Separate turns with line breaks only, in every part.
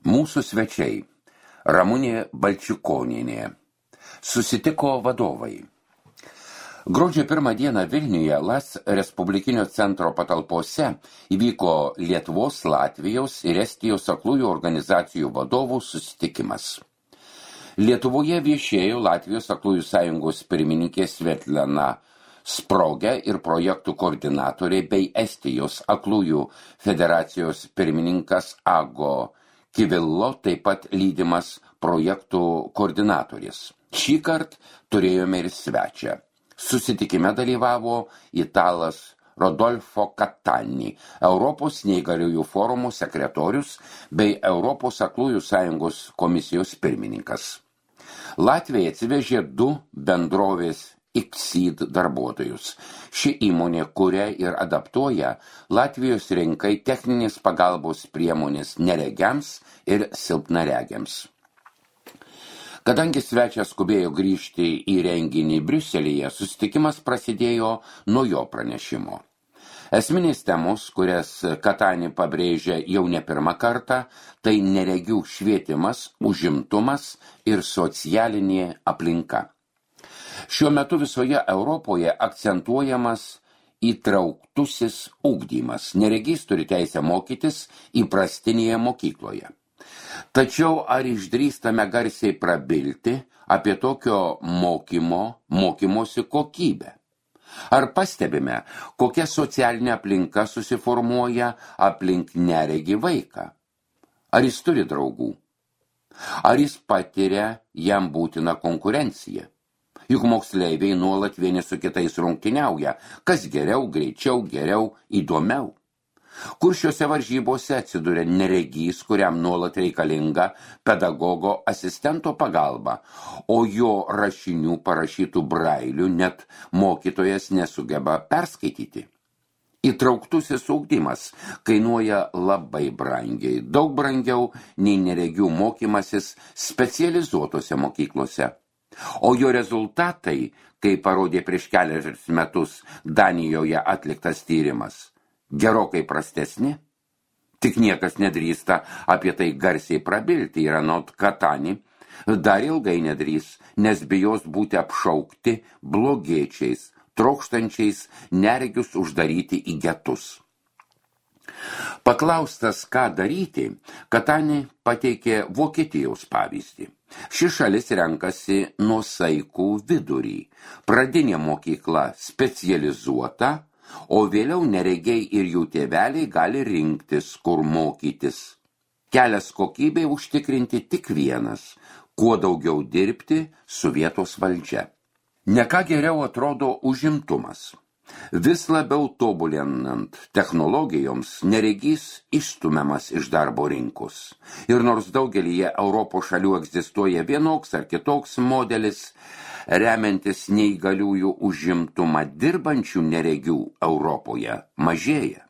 Mūsų svečiai Ramunė Balčikonienė. Susitiko vadovai. Gruodžio 1 dieną Vilniuje LAS Respublikinio centro patalpose įvyko Lietuvos, Latvijos ir Estijos aklųjų organizacijų vadovų susitikimas. Lietuvoje viešėjo Latvijos aklųjų sąjungos pirmininkė Svetlana Sprogė ir projektų koordinatorė bei Estijos aklųjų federacijos pirmininkas Ago Kivillo, taip pat lydimas projektų koordinatorės. Šįkart turėjome ir svečią. Susitikime dalyvavo italas Rodolfo Catani, Europos neįgaliųjų forumo sekretorius bei Europos aklųjų sąjungos komisijos pirmininkas. Latvija atsivežė 2 bendrovės Xseed darbuotojus. Ši įmonė kuria ir adaptuoja Latvijos rinkai techninės pagalbos priemonės neregiams ir silpnaregiams. Kadangi svečias skubėjo grįžti į renginį Briuselyje, susitikimas prasidėjo nuo jo pranešimo. Esminės temos, kurias Catani pabrėžia jau ne pirmą kartą, tai neregių švietimas, užimtumas ir socialinė aplinka. Šiuo metu visoje Europoje akcentuojamas įtrauktusis ugdymas. Neregys turi teisę mokytis įprastinėje mokykloje. Tačiau ar išdrįstame garsiai prabilti apie tokio mokymosi kokybę? Ar pastebime, kokia socialinė aplinka susiformuoja aplink neregį vaiką? Ar jis turi draugų? Ar jis patiria jam būtiną konkurenciją? Juk moksleiviai nuolat vieni su kitais rungtyniauja, kas geriau, greičiau, geriau, įdomiau. Kur šiuose varžybose atsiduria neregys, kuriam nuolat reikalinga pedagogo asistento pagalba, o jo rašinių parašytų brailių net mokytojas nesugeba perskaityti. Įtrauktusis ugdymas kainuoja labai brangiai, daug brangiau nei neregių mokymasis specializuotose mokyklose. O jo rezultatai, kaip parodė prieš kelius metus Danijoje atliktas tyrimas, gerokai prastesni. Tik niekas nedrįsta apie tai garsiai prabilti ir anot Catani dar ilgai nedrįs, nes bijos būti apšaukti blogiečiais, trokštančiais neregius uždaryti į getus. Paklaustas, ką daryti, Catani pateikė Vokietijos pavyzdį. Ši šalis renkasi nuosaikų vidurį. Pradinė mokykla specializuota, o vėliau neregiai ir jų tėveliai gali rinktis, kur mokytis. Kelias kokybei užtikrinti tik vienas – kuo daugiau dirbti su vietos valdžia. Ne ką geriau atrodo užimtumas. Vis labiau tobulinant technologijoms neregys išstumiamas iš darbo rinkos. Ir nors daugelyje Europos šalių egzistuoja vienoks ar kitoks modelis, remiantis neįgaliųjų užimtumą dirbančių neregių Europoje mažėja.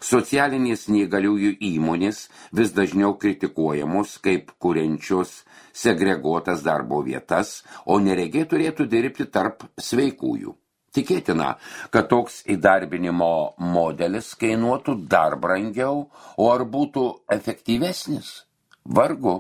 Socialinės neįgaliųjų įmonės vis dažniau kritikuojamos kaip kuriančios segreguotas darbo vietas, o neregiai turėtų dirbti tarp sveikųjų. Tikėtina, kad toks įdarbinimo modelis kainuotų dar brangiau, o ar būtų efektyvesnis? Vargu.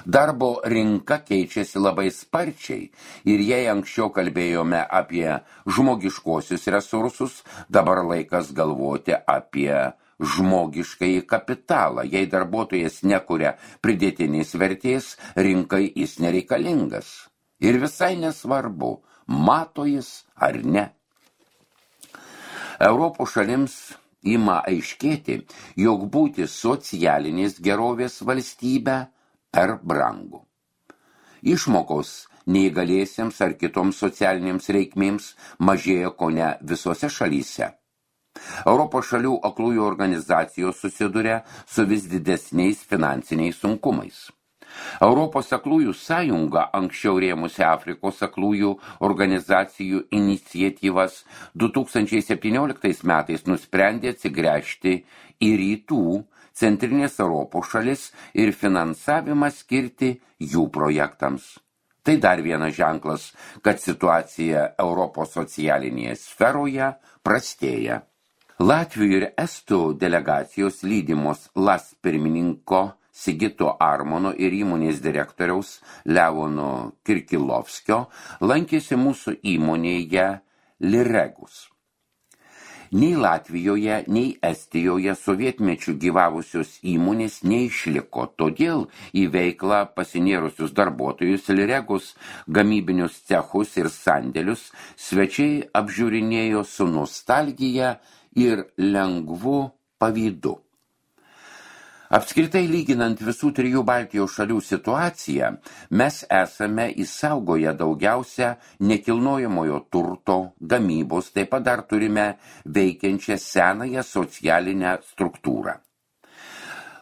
Darbo rinka keičiasi labai sparčiai ir jei anksčiau kalbėjome apie žmogiškuosius resursus, dabar laikas galvoti apie žmogiškąjį kapitalą. Jei darbuotojas nekuria pridėtinės vertės, rinkai jis nereikalingas. Ir visai nesvarbu, mato jis ar ne. Europos šalims ima aiškėti, jog būti socialinės gerovės valstybę per brangu. Išmokos neįgaliesiems ar kitoms socialinėms reikmėms mažėja kone visose šalyse. Europos šalių aklųjų organizacijos susiduria su vis didesniais finansiniais sunkumais. Europos aklųjų sąjunga, anksčiau rėmusi Afrikos aklųjų organizacijų iniciatyvas, 2017 metais nusprendė atsigręžti į rytų, centrinės Europos šalis ir finansavimą skirti jų projektams. Tai dar vienas ženklas, kad situacija Europos socialinėje sferoje prastėja. Latvijų ir Estų delegacijos lydimos LAS pirmininko Sigito Armono ir įmonės direktoriaus Leono Kirkilovskio lankėsi mūsų įmonėje Liregus. Nei Latvijoje, nei Estijoje sovietmečių gyvavusios įmonės neišliko, todėl į veiklą pasinėrusius darbuotojus Liregus gamybinius cechus ir sandėlius svečiai apžiūrinėjo su nostalgija ir lengvu pavydu. Apskritai lyginant visų 3 Baltijos šalių situaciją, mes esame išsaugoję daugiausia nekilnojamojo turto, gamybos, taip pat dar turime veikiančią senąją socialinę struktūrą.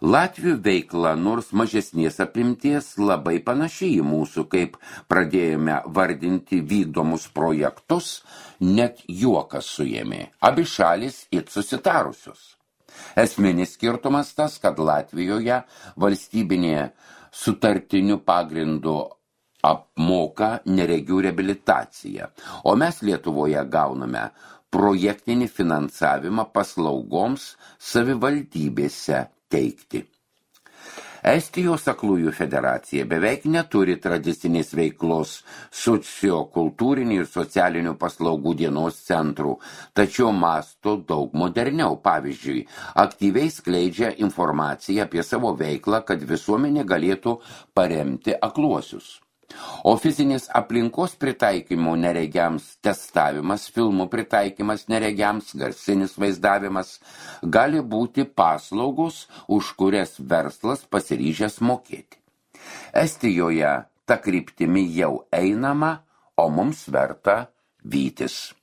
Latvių veikla, nors mažesnės apimties, labai panašiai į mūsų, kaip pradėjome vardinti vykdomus projektus, net juokas suėmė. Abi šalis it susitarusios. Esminis skirtumas tas, kad Latvijoje valstybinė sutartinių pagrindų apmoka neregių reabilitaciją, o mes Lietuvoje gauname projektinį finansavimą paslaugoms savivaldybėse teikti. Estijos aklųjų federacija beveik neturi tradicinės veiklos sociokultūrinių ir socialinių paslaugų dienos centrų, tačiau mąsto daug moderniau. Pavyzdžiui, aktyviai skleidžia informaciją apie savo veiklą, kad visuomenė galėtų paremti akluosius. O fizinės aplinkos pritaikymo neregiams testavimas, filmų pritaikymas neregiams, garsinis vaizdavimas gali būti paslaugos, už kurias verslas pasiryžęs mokėti. Estijoje ta kryptimi jau einama, o mums verta vytis.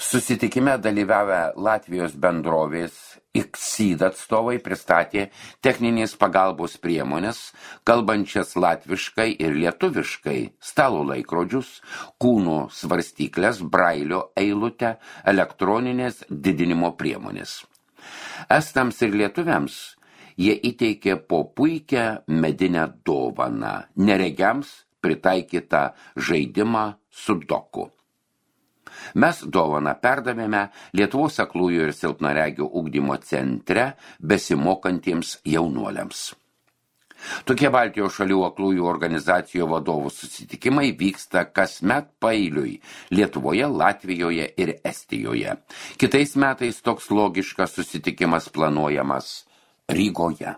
Susitikime dalyvavę Latvijos bendrovės Xyd atstovai pristatė techninės pagalbos priemonės, kalbančias latviškai ir lietuviškai, stalo laikrodžius, kūno svarstyklės, brailio eilutę, elektroninės didinimo priemonės. Estams ir lietuviams jie įteikė po puikią medinę dovaną, neregiams pritaikytą žaidimą sudoku. Mes dovaną perdavėme Lietuvos aklųjų ir silpnaregių ugdymo centre besimokantiems jaunuoliams. Tokie Baltijos šalių aklųjų organizacijų vadovų susitikimai vyksta kasmet paeiliui Lietuvoje, Latvijoje ir Estijoje. Kitais metais toks logiškas susitikimas planuojamas Rygoje.